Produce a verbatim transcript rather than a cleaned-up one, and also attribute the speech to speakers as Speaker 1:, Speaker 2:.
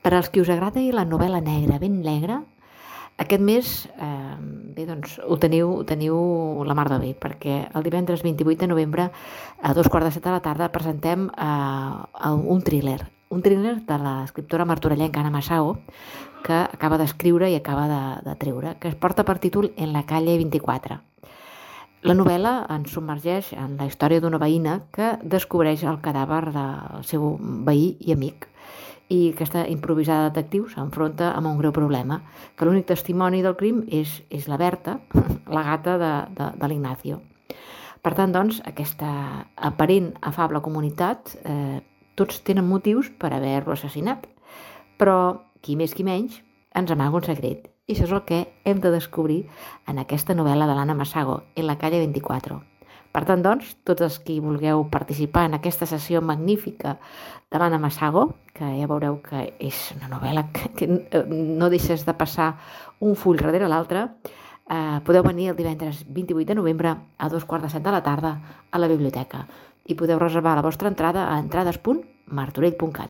Speaker 1: Per als qui us agrada la novel·la negra, ben negra, aquest mes eh, bé, doncs, ho, teniu, ho teniu la mar de bé, perquè el divendres vint-i-vuit de novembre a dos quarts de set de la tarda presentem eh, un thriller, un thriller de l'escriptora martorellenca Anna Massao, que acaba d'escriure i acaba de, de treure, que es porta per títol En la calle vint-i-quatre. La novel·la ens submergeix en la història d'una veïna que descobreix el cadàver del seu veí i amic, i aquesta improvisada detectiu s'enfronta amb un greu problema, que l'únic testimoni del crim és, és la Berta, la gata de, de, de l'Ignacio. Per tant, doncs, aquesta aparent afable comunitat, eh, tots tenen motius per haver-lo assassinat, però qui més qui menys ens amaga un secret, i això és el que hem de descobrir en aquesta novel·la de l'Anna Massao, En la calle vint-i-quatre. Per tant, doncs, tots els que vulgueu participar en aquesta sessió magnífica de l'Anna Massao, que ja veureu que és una novel·la que, que no deixes de passar un full darrere l'altre, eh, podeu venir el divendres vint-i-vuit de novembre a dos quarts de set de la tarda a la biblioteca i podeu reservar la vostra entrada a entrades punt martorell punt cat.